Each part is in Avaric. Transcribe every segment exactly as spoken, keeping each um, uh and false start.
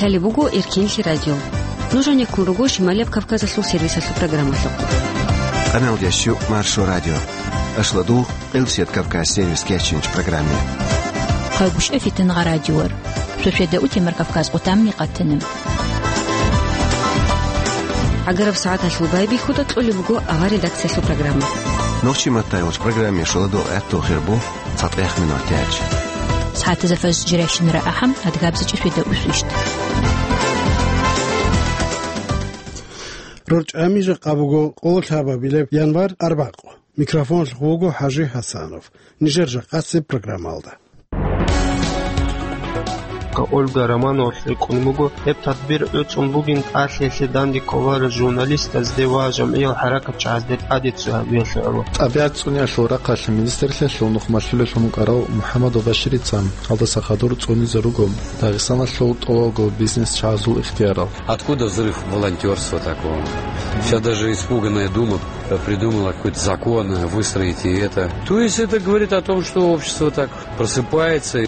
Лъалеб буго Эркенлъи радио. Нуж гьанеккун руго Шималияб Кавказалъул сервисалъул программалъухъ. Къаналдияс щук Маршо радио. Ашладул Къилсият Кавказ сервис кечинч программе. Хъагушев Фитангъа радиор. Шошеда утемар Кавказ къутамни къатанам. ГӀагараб сагӀаталъул байбихьуда кьолеб буго авар редакциялъул программа. Нохчи маттай вач программе шоладул гӀаттул хирбу. ЦатӀехъ минутач. СагӀатазда фаз жирайщинара ахӀам, адгабзачӀи шведа усвищт. РорчӀами жакъа буго къоло лъабабилеб январь арбакъу. Микрофонлъ вуго ХӀажи ХӀасанов. Нижер жакъасеб программалда. Ольга Романовалъ рикӀкӀун буго, гьеб тадбир гӀуцӀун бугин тӀалъиялъе данде кколарел журналистазде ва жамгӀиял хӀаракатчагӀазде тӀаде цо гьабиялъе гӀоло. ТӀабигӀат цӀуниялъул рахъалъ министрлъиялъул нухмалъулелъун вукӀарав МухӀаммадов Баширица гьалдаса хадур цӀунизе руго Дагъистаналъул тӀолабго бизнесчагӀазул ихтиярал. Откуда взрыв волонтёрства такого? Вся даже испуганная дума придумала какой-то закон, выстроить и это. То есть это говорит о том, что общество так просыпается.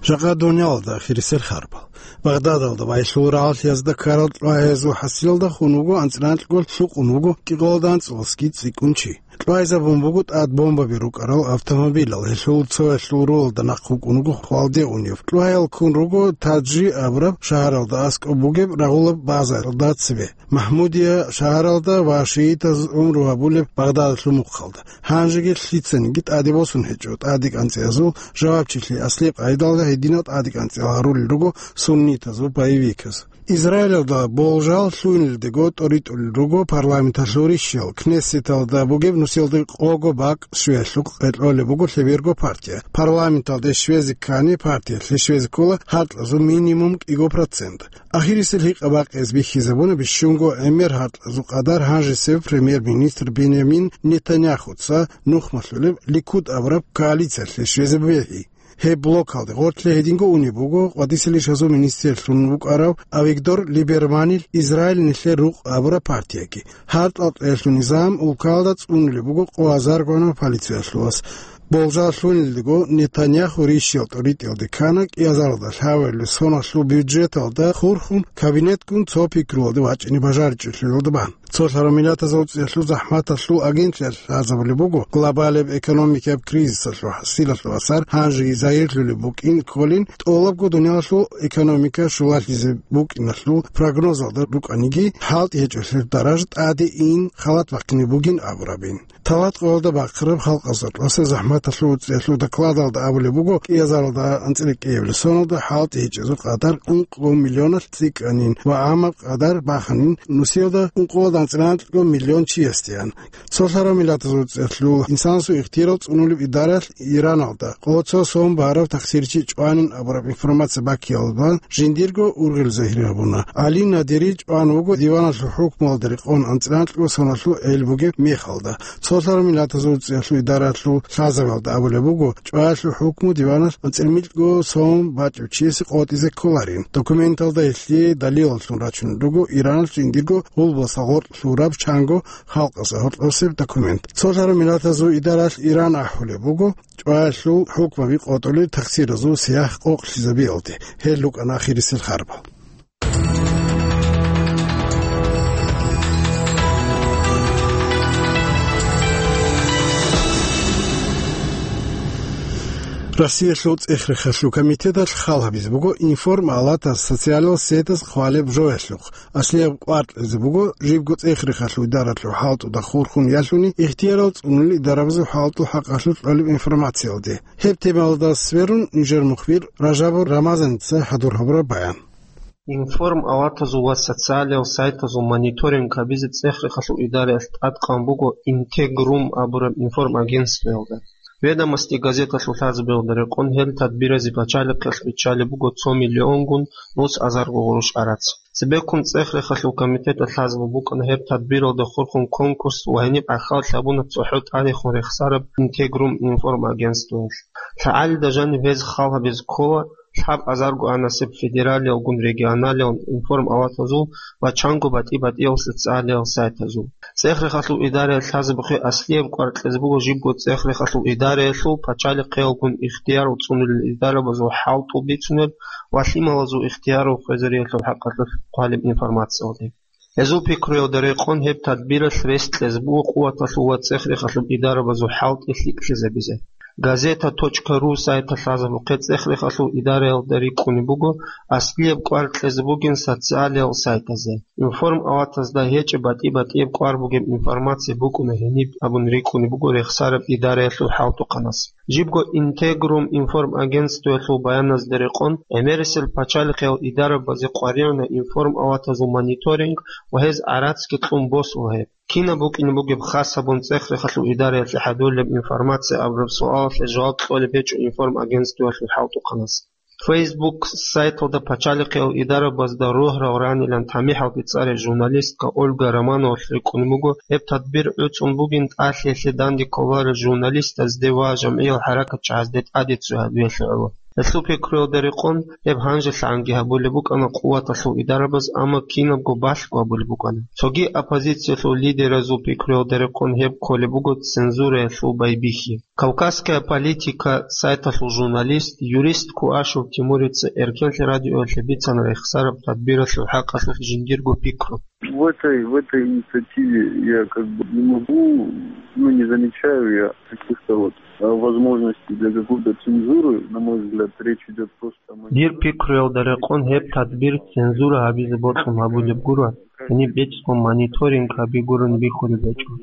Жакъа дуниялалда ахирисел харбал. Багъдадалда вайлъул рагӀалъиязда ккарал кьвагьаязул хӀасилалда хун вуго анцӀила анкьго, лъукъун вуго кӀикъоялда анцӀила цӀикӀкӀун чи. Кьвагьизабун буго тӀад бомбаби рукӀарал автомобилал, гьелъул цоялъул рулалда нахъ вукӀун вуго хвалде унев. Кьвагьал ккун руго Таджи абураб шагьаралда аскӀоб бугеб рагъулаб базаралда цебе. МахӀмудия шагьаралда ва шиитаз гӀумру гьабулеб Багъдадалъул мухъалда. Гьанжеги лъицаниги тӀаде босун гьечӀо тӀадекӀанцӀиязул жавабчилъи, аслияб къайдалда гьединал тӀадекӀанцӀиял гьарулел руго суннитазул боевиказ. Израилалда болжал лъугьинелдего тӀоритӀулел руго парламенталъул ришиял, Кнессеталда бугеб нусиялда къого бакӀ щвеялъухъ къекъолеб буго лъеберго партия. Парламенталде щвезе ккани партиялъе щвезе ккола гьаркьазул минимум кӀиго процент. Ахирисел гьикъа-бакъиялъ бихьизабуна бищунго гӀемер гьаркьазул къадар гьанжесев премьер-министр Бенямин Нетаньяхуца нухмалъулеб Ликуд абураб коалициялъе щвезе бегьи. Гьеб блокалде гъорлъе гьединго унеб буго къватӀисел ишазул министрлъун вукӀарав Авигдор Либерманил Израиль нилъер рукъ абураб партияги. Гьаркьал кьеялъул низам улкалда цӀунулеб буго къо азарго гӀанав полициялъулас. Болжал лъугьинелдего Нетаньяху ришиял тӀоритӀиялде ккана кӀиазаралда лъабабилеб соналъул бюджеталда хурхун кабинетгун цо пикруялде вачӀине бажаричӀелъулалда бан. Цолъарав миллатазул цӀехлъу захӀматалъул агентлъиялъ лъазабулеб буго, глобалияб экономикияб кризисалъул хӀасилалъул асар гьанжеги загьирлъулеб букӀин кколин, тӀолабго дуниялалъул экономика щулалъизе букӀиналъул прогнозалда рукӀаниги, хӀалтӀи гьечӀолъи даража тӀаде ин халат бахъине бугин абурабин. Талат къоялда бахъараб халкъалъул рокьоса захӀматалъул цӀехлъу докладалда абулеб буго, кӀиазаралда анцӀила кӀиабилеб соналда хӀалтӀи гьечӀезул къадар ункъо миллионалъ цӀикӀкӀанин ва гӀамаб къадар баханин нусиялда ункъоялда анцӀила анкьго миллион чиясдеян. Цолъарав миллатазул цӀехлъул инсанасул ихтиярал цӀунулеб идараялъ Ираналда къо цо сон барав тахсирчи чӀванин абураб информация баккиялда жиндирго ургъел загьир гьабуна. ГӀали Надири чӀван вуго диваналъул хӀукмуялда рекъон анцӀила анкьго соналъул гӀел бугеб мехалда. Цолъарав миллатазул цӀехлъу идараялъул лъазабиялда абулеб буго, чӀваялъул хӀукму диваналъ анцӀила микьго сон бачӀев чиясе къотӀизе кколарин. Документалда гьелъие далилаллъун рачунел руго Ираналъ жиндирго гъулбаса гъоркь лъураб чанго халкъалъа гьоркьосеб документ. Цолъарав миллатазул идараялъ Иран ахӀулеб буго, чӀваялъул хӀукмаби къотӀулел тахсиразул сияхӀ къокълъизабиялде. Гьел рукӀана ахирисел харбал. Россиялъул цӀех-рехалъул комитеталъ хал гьабизе буго информ-алатас социалал сетаз хъвалеб жоялъухъ. Аслияб кӀвар кьезе буго жибго цӀех-рехалъул идараялъул хӀалтӀуда хурхун ялъуни ихтиярал цӀунулел идарабазул хӀалтӀул хӀакъалъулъ кьолеб информациялде. Гьеб темалда сверун нижер мухбир Ражабов Рамазаница хӀадур гьабураб баян. Информ-алатазул ва социалиял сайтазул мониторинг гьабизе цӀех-рехалъул идараялъ тӀадкъан буго Интегрум абураб информагентствоялда. Ведомости газеталъул лъазабиялда рекъон гьел тадбиразе пачалихъалъ биччалеб буго цо миллионгун нус азарго гъурущ гӀарац. Цебеккун цӀех-рехалъул комитеталъ лъазабун букӀана гьеб тадбиралда хурхун конкурс ва гьениб гӀахьаллъи гьабуна цохӀо тӀадехун рехсараб Интегрум информагентствоялъ. ЛъагӀалида жаниб гьез хал гьабизе ккола лъабазарго гӀанасеб федералиялгун регионалиялгун информ-алатазул ва чанго батӀи-батӀиял социалиял сайтазул. ЦӀех-рехалъул идараялъ лъазабухъе аслияб кӀвар кьезе буго жибго цӀех-рехалъул идараялъул пачалихъеялгун ихтияр цӀунулел идарабазул хӀалтӀул бицунеб ва лъималазул ихтияр хвезариялъул хӀакъалъулъ хъвалеб информациялде. Гьезул пикруялда рекъон гьеб тадбиралъ рес кьезе буго къуваталъул ва цӀех-рехалъул идарабазул хӀалтӀи лъикӀлъизабизе. Газета точка ру сайталъ лъазабухъе цӀех-рехалъул идараялда рикӀкӀунеб буго аслияб кӀвар кьезе бугин социалиял сайтазе. Информ аватазда гьечӀеб батӀи-батӀияб кӀвар бугеб информация букӀуна гьениб абун рикӀкӀунеб буго рехсараб идараялъул хӀалтӀухъанас. Жибго Интегрум информагентствоялъул баяназда рекъон, гӀемерисел пачалихъиял идарабазе къваригӀуна информ аватазул мониторинг ва гьез гӀарацги кьун босула гьеб. Кинаб букӀине бугеб хас гьабун цӀех-рехалъул идараялъе хӀадурлеб информация абураб суалалъе жаваб кьолеб гьечӀо информагентствоялъул хӀалтӀухъанас. Facebook сайталда пачалихъиял идарабазда рогьарал ранилан тамихӀалде цӀараб журналистка Ольга Романовалъ рикӀкӀунеб буго, гьеб тадбир гӀуцӀун бугин тӀалъиялъе данде кколарел журналистазде ва жамгӀиял хӀаракатчагӀазде тӀаде цо гьабиялъе гӀоло. Гьелъул пикруялда рекъон, гьеб гьанжелъагӀанги гьабулеб букӀана къуваталъул идарабаз, амма кинабго балъго гьабулеб букӀана. Цоги оппозициялъул лидеразул пикруялда рекъон гьеб кколеб буго цензураялъул байбихьи. Кавказская политика сайталъул журналист, юрист Куашев Тимурица Эркенлъи радиоялъе бицана рехсараб тадбиралъул хӀакъалъулъ жиндирго пикру. В этой, в этой инициативе я как бы не могу, ну, не замечаю я каких-то вот, а, возможностей для какой-то цензуры. На мой взгляд, речь идёт просто о... Дир пикруялда рекъон гьеб тадбир цензура гьабизе бокьун гьабулеб гуро, гьениб бецӀго мониторинг гьаби гурони бихьулеб гьечӀо.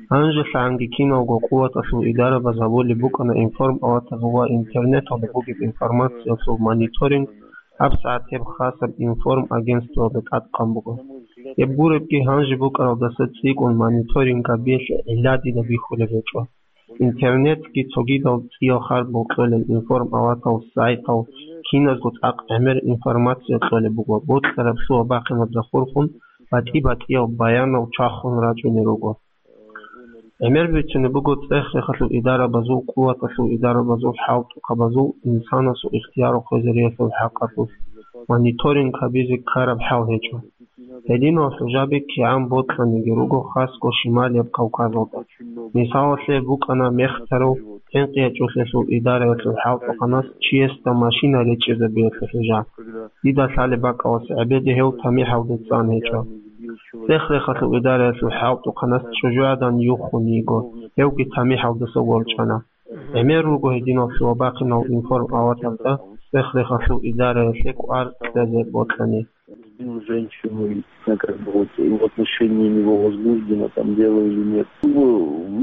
ГьанжелъагӀанги киналго къуваталъул идарабаз гьабулеб букӀана информ аватазул ва интернеталда бугеб информациялъул мониторинг, гьабсагӀат гьеб хасаб информ агентствоялда тӀадкъан буго. Гьеб гуребги гьанже букӀаралдаса цӀикӀкӀун мониторинг гьабиялъе гӀилла дида бихьулеб гьечӀо. Интернетги цогидал цӀиял хардбал кьолел информ аватал сайтал киназго цӀакъ гӀемер информация кьолеб буго, бокьараб лъугьа-бахъинаб захурхун батӀи-батӀиял баянал чвахун рачӀунел руго. ГӀемер бицунеб буго цӀех-рехалъул идарабазул, къуваталъул идарабазул, хӀалтӀухъабазул инсанасул ихтияр хвезариялъул хӀакъалъулъ мониторинг гьабизе ккараб хӀал гьечӀо. Гьединал хӀужаби кигӀан бокьаниги руго, хасго Шималияб Кавказалда. Мисалалъе букӀана мехтарав ХӀинкъи ячӀулъелъул идараялъул хӀалтӀухъанас чиясда машина речӀчӀизабиялъул хӀужа. Дида лъалеб бакӀалас гӀебеде гьев тамихӀалде цӀан гьечӀо. ЦӀех-рехалъул идараялъул хӀалтӀухъанас чӀужугӀадан юххун йиго, гьевги тамихӀалдаса ворчӀана. ГӀемер руго гьединал лъугьа-бахъинал информ аватазда цӀех-рехалъул идараялъе кӀвар кьезе бокьани. Сбил женщину, и, ну, как бы вот, и в отношении него возбуждено там дело или нет. Ну,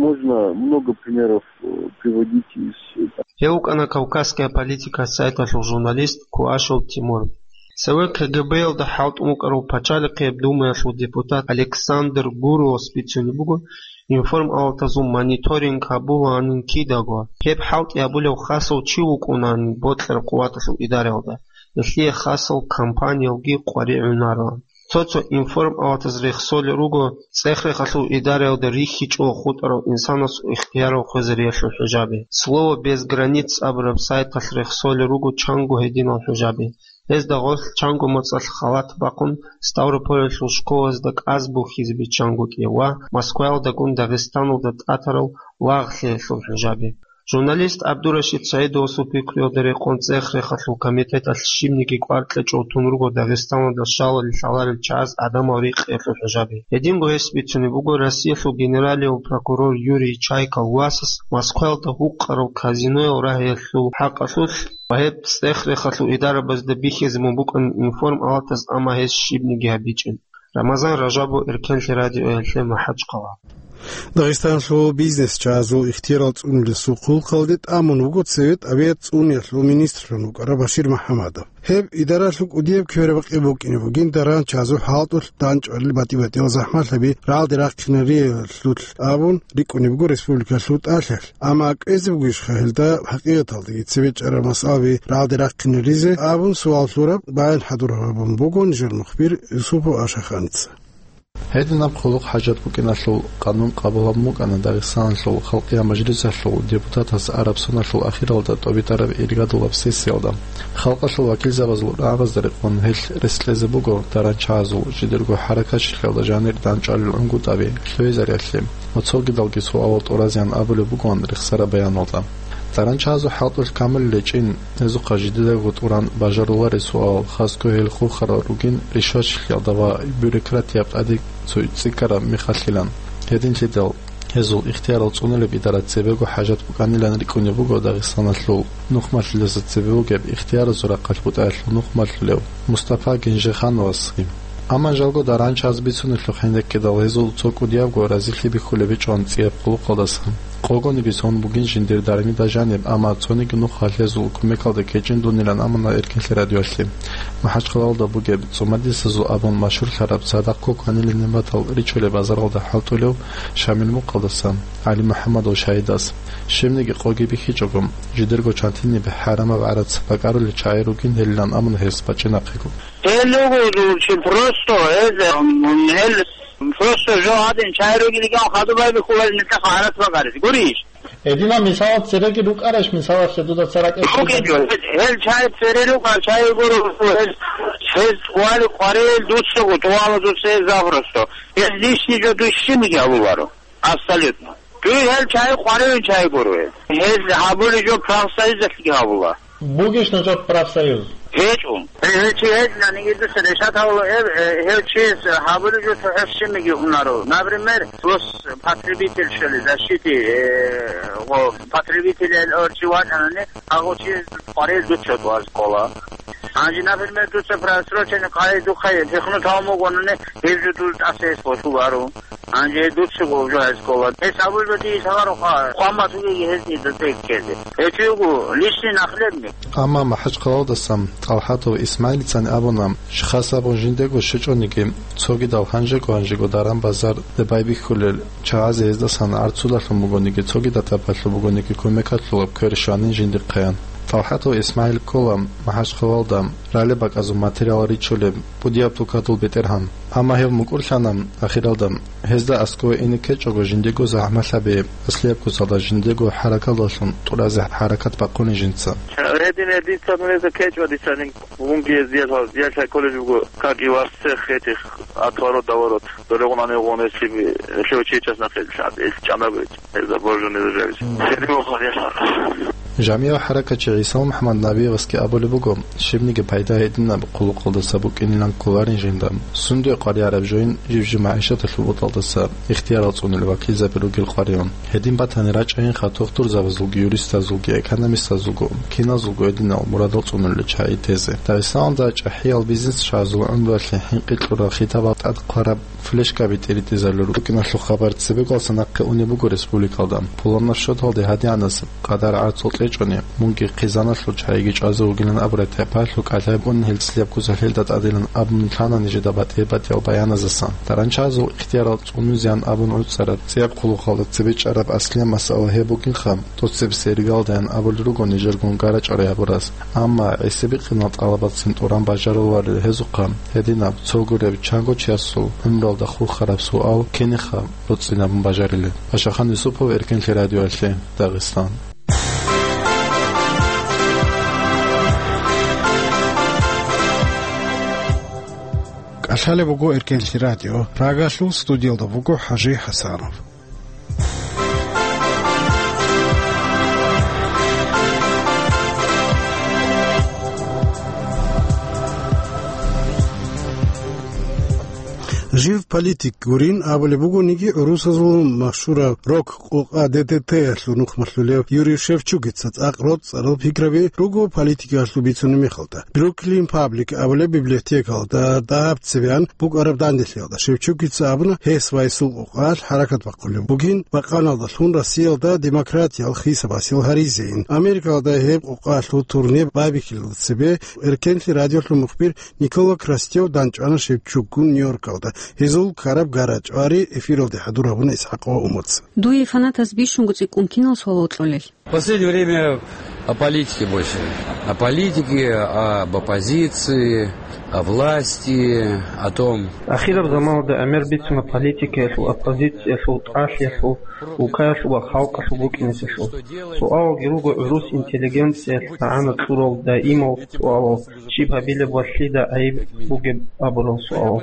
можно много примеров, э, приводить из, э, там. Гьев вукӀана «Кавказская политика» сайталъул журналист Куашев Тимур. Цеве КГБ-ялда хӀалтӀун вукӀарав Пачалихъияб Думаялъул депутат Александр Гуровас бицунеб буго, информ аватазул мониторинг гьабулаанин кидаго. Гьеб хӀалтӀи гьабулев хасав чи вукӀунаанин бокьараб къуваталъул идараялда. Гьелъие хасал компаниялги къваригӀунароан. Цо-цо информ аватаз рехсолел руго, цӀех-рехалъул идараялда рихьичӀого хутӀарав инсанасул ихтияр хвезариялъул хӀужаби. «Слово без границ» абураб сайталъ рехсолел руго чанго гьединал хӀужаби. Гьезда гъорлъ чанго моцӀалъ халат бахъун Ставрополалъул школазда кӀаз бухьизе биччан гутӀи ва Москваялдагун Дагъистаналда тӀатарал лагълъиялъул хӀужаби. Журналист ГӀабдурашид СагӀидовасул пикруялда рекъон цӀех-рехалъул комитеталъ щибниги кӀвар кьечӀого тун руго Дагъистаналда щалалел лъаларел чагӀаз гӀадамал рикъиялъул хӀужаби. Гьединго гьес бицунеб буго Россиялъул генералияв прокурор Юрий Чайкал васас Москваялда гьукъарал казиноял рагьиялъул хӀакъалъулъ ва гьеб цӀех-рехалъул идарабазда бихьизе мун букӀанин информ аватаз, амма гьес щибниги гьабичӀин. Рамазан Ражабов, Эркенлъи радиоялъе МахӀачхъала. Дагъистанлъул бизнесчагӀазул ихтиярал цӀунулесул хъулухъалде тӀамун вуго Цевет авиа цӀуниялъул министрлъун вукӀарав Башир МухӀамадов. Гьеб идаралъул кӀудияб кверабакъи букӀине бугин даран чагӀазул хӀалтӀулъ данчӀвалел батӀи-батӀиял захӀмалъаби рагӀалде рахъинариялъулъ абун рикӀкӀунеб буго республикалъул тӀалъалъ. Амма кӀвезе бугищха гьелда хӀакъикъаталдаги цебе чӀараб масъалаби рагӀалде рахъинаризе абун суал лъураб баян хӀадур гьабун буго нижер мухбир Юсупов Ашаханица. Гьединаб хъулухъ-хӀажат букӀиналъул къанун къабул гьабун букӀана Дагъистаналъул Халкъиял Мажлисалъул депутатас араб соналъул ахиралда тӀобитӀараб иргадулаб сессиялда. Халкъалъул вакилзабазул рагӀабазда рекъон гьелъ рес кьезе буго даранчагӀазул жидерго хӀаракатчилъиялда жанир дандчӀвалел гӀунгутӀаби лъугӀизариялъе ва цогидалги суалал тӀуразеян абулеб бугоан рехсараб баяналда. Даранчагьазул хӀалтӀулъ камулел гьечӀин, гьезухъа жидедаго тӀуран бажаруларей суал, хасго гьел хурхарал ругин ришватчилъиялда ва бюрократияб тӀаде цо цӀикӀкӀараб мехалъилан. Гьединлъидал гьезул ихтиярал цӀунулеб идара цебего хӀажат букӀанилан рикӀкӀунеб буго Дагъистаналъул нухмалъулъаса цебе бугеб ихтияразул рахъалъ бутӀаялъул нухмалъулев Мустапа Генжехановасги. Амма жалго даранчагьаз бицунелъухъ гьенеккидал гьезул цо кӀудиябго разилъи бихьулеб гьечӀоан цӀияб хъулухъалдаса. Къогониги сон бугин жиндир дармида жаниб, амма цониги нух гьалъ гьезул кумекалда кечӀин дунилан амуна Эркенлъи радиоялъе. МахӀачхъалалда бугеб ЦӀумадисазул абун машгьурлъараб цадахъ коканилин нигӀматал ричулеб базаралда хӀалтӀулев Шамил Мукъалдаса ГӀали МухӀаммадов Шагьидас. Щибниги къоги бихьичӀого, жидерго чантиниб хӀарамаб гӀарац бакӀарулел чагӀи ругин гьелилан амуна гьес бачӀинахъего. Гьел руго чи просто, гьез, м, гьел просто жо гьадин чай ругилиган хадуб байбихьулел нилъехъ гӀарац бакӀарис. Гурищ? Гьединаб мисалал цереги рукӀарищ, мисалалъе дуда царакӀ Ругел жо, гьел, гьел чай цере рукӀа, чай гуро, гьез, гьез тӀували къварел дуцаго, тӀувала дуца гьез запросто. Гьез лишний жо дуй щибниги гьабуларо. Абсолютно. Дуй гьел чай къваревин чай гуро гьез. Гьез гьабулеб жо профсоюзалъги гьабула. Бугищ нужер профсоюз? ГьечӀо. Гьев чи гьечӀониги дуца решат гьавула, э, э, гьев чияс гьабулеб жо цохӀо щибниги унаро. Например, дос потребитель щолеб, защите, э, гъо, потребитель эл ор чи вачӀанани, гьагъо чи къварел дуца тӀуаз ккола. Гьанже, например, дуца просроченный къайи духъе пихнут гьавун бугонани, гьеб жо дур тӀаса гьес босуларо. Гьанже дуцаго жо гьез ккола. Гьес абулеб дие лъаларо хъа-, хъван батугеги гьез дида тӀекӀкезе. Гьечи вуго лишний нахлебник. Амма МахӀачхъалалдасан ТӀалхӀатов ИсмагӀилицани абуна, хас абун жиндего щвечӀониги, цогидал гьанжего-гьанжего даран-базар байбихьулел чагӀазе гьездасан гӀарцулалъун бугониги, цогидаб тӀабалъул бугониги кумекалъулаб квер щванин жиндихъаян. ТӀалхӀатов ИсмагӀил ккола МахӀачхъалалда ралеб бакӀазул материал ричулеб, пудияб тукадул бетӀергьан. Амма гьев мукӀурлъана ахиралда. Гьезда аскӀове ине ккечӀого жиндего захӀмалъаби, аслияб куцалда жиндего хӀаракалдалъун тӀуразе хӀаракат бахъуни жинца. Гьедин гьединца нужеца ккечӀо дицанин, мунги гьез диялъ, диялъ колледж буго, как и вас всех этих, отворот-доворот. Дорегъун гьанивгъун гьесиб, гьелъев чияс нахъе лъан, гьел чӀанаб гьечӀ, гьезда божуни зажавизе. Гьедин вахъал ясар. ЖамигӀав хӀаракатчи ГӀисал МухӀаммад Набиевасги абулеб буго, щибниги пайда гьединаб хъулухъалдаса букӀинилан кколарин жинда. Сунде къваригӀараб жойин жив-жив магӀишаталъул бутӀалдаса ихтиярал цӀунулел вакилзаби ругел къваригӀун. Гьедин батани рачӀайинха тухтурзабазулги, юристазулги, экономистазулго, киназулго гьединал мурадал цӀунулел чагӀи тезе. Дагъистаналда чӀахӀиял бизнесчагӀазул гӀумруялъе хӀинкъи кьурал хитабал тӀад хъвараб флешкаби тӀиритӀизарулел рукӀиналъул хабар цебеголъа нахъе унеб буго республикалда. Пуланаб щоталде гьадинаб къадар гӀарцул кьечӀони, мунги хъизаналъул чагӀиги чӀвазе вугилан абураб тайпаялъул кӀалъай букӀунин гьел цӀияб куцалъ гьелда тӀадилан абун лъана нижеда батӀи-батӀиял баяназасан. Даранчагьазул ихтиярал цӀунузеян абун гӀуцӀараб цӀияб хъулухъалда цебе чӀараб аслияб масъала гьеб букӀинха, тӀоцебесеб иргалдаян абулел руго нижергун гара-чӀвара гьабурас. Амма гӀисабикъинал тӀалабацин тӀуран бажаруларел гьезухъа гьединаб цо гуреб чанго чиясул гӀумруялда хурхараб суал киниха боцӀцӀинабун бажарилеб? Пашахан Юсупов, Эркенлъи радиоялъе, Дагъистан. КӀалъалеб буго Эркенлъи радио. Прагалъул студиялда буго ХӀажи ХӀасанов. Жив политик гурин абулеб бугониги, гӀурусазул машгьураб рок-къокъа ДДТ-ялъул нухмалъулев Юрий Шевчукица цӀакъ роцӀцӀарал пикраби руго политикаялъул бицунеб мехалда. Бруклин Паблик абулеб библиотекалда дагьаб цебеян букӀараб данделъиялда Шевчукица абуна, гьес ва гьесул къокъаялъ хӀаракат бахъулеб бугин, бакъаналдалъун Россиялда демократиял хисабасел гьаризейин. Америкалда гьеб къокъаялъул турнир байбихьилелда цебе Эркенлъи радиолъул мухбир Никола Крастев дандчӀвана Шевчукгун Нью-Йоркалда. Гьезул ккараб гара-чӀвари эфиралде хӀадур гьабуна ИсхӀакъ ва Умуц. Дуе фанатаз бищунго цӀикӀкӀун кинал суал вокьулел? В последнее время о политике больше. О политике, об оппозиции. О власти, о том. Ахираб заманалда гӀемер бицуна политикаялъул, оппозициялъул, тӀалъиялъул, улкаялъул ва халкъалъул букӀинеселъул. Суалалги руго гӀурус интеллигенциялъ магӀна кьурал даимал суалал, щиб гьабилеб ва лъида гӀайиб бугеб абурал суалал.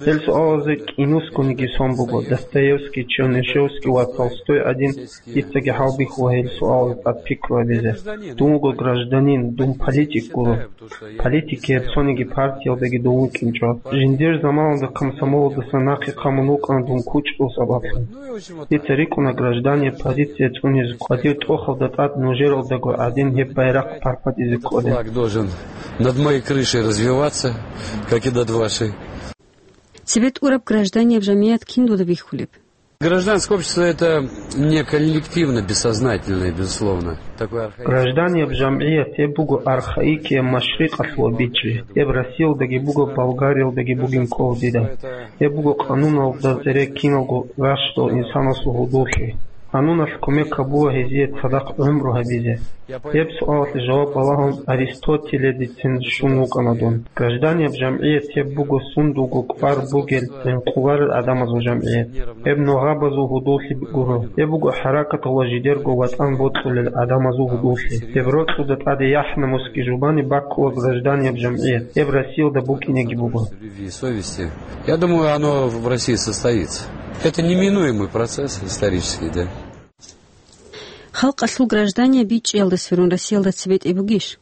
Гьел суалазе кӀинусгониги сон буго, Достоевский, Чернышевский ва Толстой гӀадин, дицаги хӀалбихьула гьел суалазда тӀад пикру гьабизе. Дун вуго гражданин, дун политик гуро. Политикияб цониги партиялдаги дун вукӀинчӀо. Жиндир заманалда комсомолалдаса нахъе хъамун вукӀана дун кучӀдул сабаблъун. Дица рикӀкӀуна гражданиял позиция цӀунизе кӀвадир тӀохалда тӀад нужералдаго гӀадин гьеб байрахъ парпатизе кколеб. Флаг должен над моей крышей развиваться, как и над вашей. Цебе тӀураб гражданияб жамгӀият кин дуда бихьулеб? Гражданское общество — это не коллективно бессознательное, безусловно. Такое архаичное. Гражданияб жамгӀият гьеб буго архаикияб машрикъалъула бичӀчӀи. Гьеб Россиялдаги буго, Болгариялдаги бугин ккола дида. Гьеб буго къануналда цере киналго ращдал инсанасул гьудуллъи. Къануналъ кумек гьабула гьезие цадахъ гӀумру гьабизе. Гьеб суалалъе жаваб балагьун Аристотеледицин щун вукӀана дун. Гражданияб жамгӀият гьеб буго сундулго кӀвар бугел гӀинкъуларел гӀадамазул жамгӀият. Гьеб ногъабазул гьудуллъи гуро. Гьеб буго хӀаракатал ва жидерго ватӀан бокьулел гӀадамазул гьудуллъи. Гьеб рокьуда тӀаде яхӀ-намусги жубани баккула гражданияб жамгӀият. Гьеб Россиялда букӀинеги буго. Любви и совести. Я думаю, оно в России состоится. Это неминуемый процесс исторический, да. Халкъалъул граждание бичӀчӀиялда сверун Россиялда цебетӀе бугищ?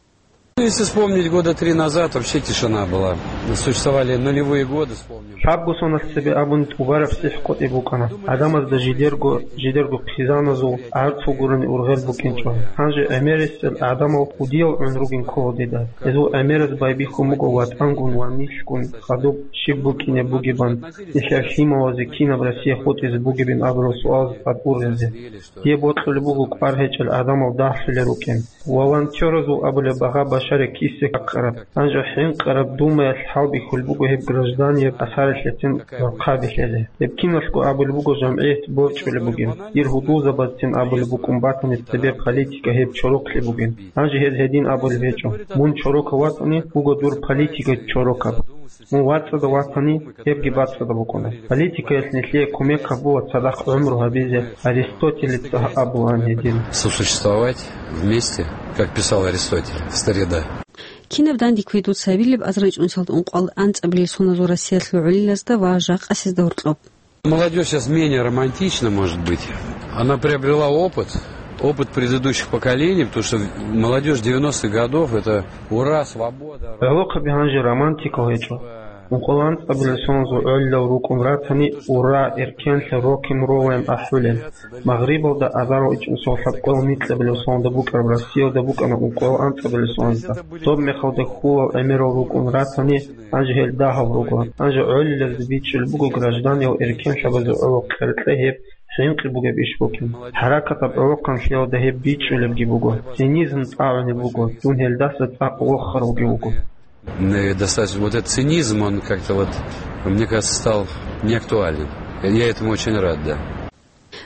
Если вспомнить, года три назад вообще тишина была. Существовали нулевые годы, вспомним. Лъабго соналъ цебе абун тӀубараб сихӀкъотӀи букӀана. ГӀадамазда жидерго, жидерго хъизаназул гӀарцул гурони ургъел букӀинчӀо. Гьанже гӀемерисел гӀадамал кӀудиял гӀун ругин ккола дида. Гьезул гӀемераз байбихьун буго ватӀангун ва нилъгун хадуб щиб букӀине бугебан, нилъер лъималазе кинаб Россия хутӀизе бугебин абурал суалазда тӀад ургъизе. Дие бокьулеб буго кӀвар гьечӀел гӀадамал дагьлъулел рукӀин. Волонтеразул абулеб багъа башаре кисе какараб, гьанже хӀинкъараб Думаялъ хӀалбихьулеб буго гьеб гражданияб асаралъецин рахъаби лъезе. Гьеб киналъго абулеб буго жамгӀият борчӀулеб бугин. Дир гьудулзабазцин абулеб букӀун батани цебе политика гьеб чорокълъи бугин. Гьанже гьез гьедин абулеб гьечӀо. Мун чорокав ватани, буго дур политика чорокаб. Мун вацӀцӀадав ватани, гьебги бацӀцӀадаб букӀуна. Политикаялъ нилъее кумек гьабула цадахъ гӀумру гьабизе, Аристотелица абулаан гьедин. Сосуществовать вместе, как писал Аристотель в старина. Кинаб данде кквей дуца гьабилеб азарилчӀунсалда ункъоялда анцӀабилел соназул Россиялъул гӀолилазда ва жакъасезда гьоркьоб? Молодёжь сейчас менее романтична, может быть. Она приобрела опыт, опыт предыдущих поколений, потому что молодёжь девяностых годов — это ура, свобода. ГӀолохъаби гьанже романтикал гьечӀо. Ункъоялда анцӀабилел соназул гӀолилал рукӀун ратани, ура, эркенлъи, рок-н-роллаян ахӀулел. Магърибалда азарилчӀунсал лъабкъоялда микьабилел соназда букӀараб Россиялда букӀана ункъоялда анцӀабилел соназда. Доб мехалда хьулал гӀемерал рукӀун ратани, гьанже гьел дагьал руго. Гьанже гӀолилазда бичӀчӀулеб буго гражданиял эркенлъабазе гӀоло кьеркье гьеб хӀинкъи бугеб иш букӀин. ХӀаракатаб гӀолохъанлъиялда гьеб бичӀчӀулебги буго. Цинизм тӀагӀунеб буго, дун гьелдаса цӀакъ вохаралги вуго. Э, достаточно, вот этот цинизм, он как-то вот, мне кажется, стал неактуальным. Я этому очень рад, да.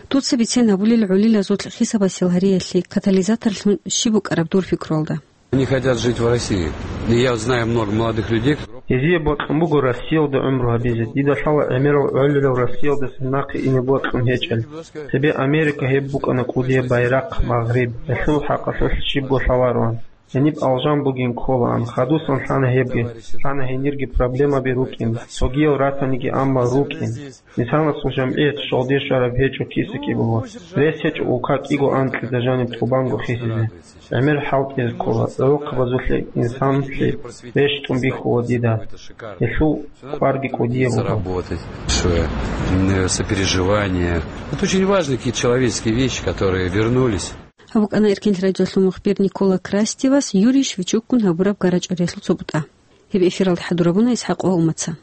Дуца бицен гьабулел гӀолилазул хисабасел гьариялъе катализаторлъун щиб букӀараб дур пикруялда? Они хотят жить в России. И я знаю много молодых людей. Гьезие бокьун буго Россиялда гӀумру гьабизе. Дида лъала гӀемерал гӀолилал Россиялдаса нахъе ине бокьун гьечӀел. Цебе Америка гьеб букӀана кӀудияб байрахъ, Магъриб. Гьелъул хӀакъалъулъ щибго лъалароан. Гьениб алжан бугин кколаан. Хадусан лъана гьебги. Лъана гьенирги проблемаби рукӀин. Цогиял ратаниги, амма рукӀин. Инсанасул жамгӀият щолде щвараб гьечӀо киса кӀиго. Рес гьечӀо улка кӀиго анкьида жаниб тӀубанго хисизе. ГӀемер хӀалтӀизе ккола, гӀолохъабазулъе инсанлъи рещтӀун бихьула дида. Гьелъул кӀварги кӀудияб буго. Заработать. Большое, м, сопереживание. Это очень важные какие-то человеческие вещи, которые вернулись. Гьаб букӀана Эркенлъи радиолъул мухбир Никола Крастевас Юрий Шевчукгун гьабураб гарачӀариялъул цо бутӀа. Гьеб эфиралда хӀадурабуна ИсхӀакъ ва Умаца.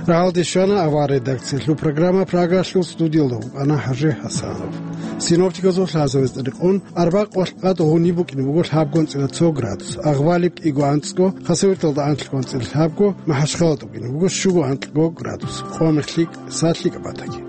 Рагьалде щвана аварагасул редакциялъул программа. Прагалъул студиялда вукӀана ХӀажи ХӀасанов. Синоптикасул лъазаваз тӀадекъон, арбякъ къоялъ гъуниб букӀине буго лъабго анцӀила цо градус, агъвалиб кӀиго анцӀго, Хасавюрталда анлъго анцӀила лъабго, МахӀачхъалада букӀине буго щуго анлъго градус, къо-мех лъикӀ, са лъикӀаб батаги.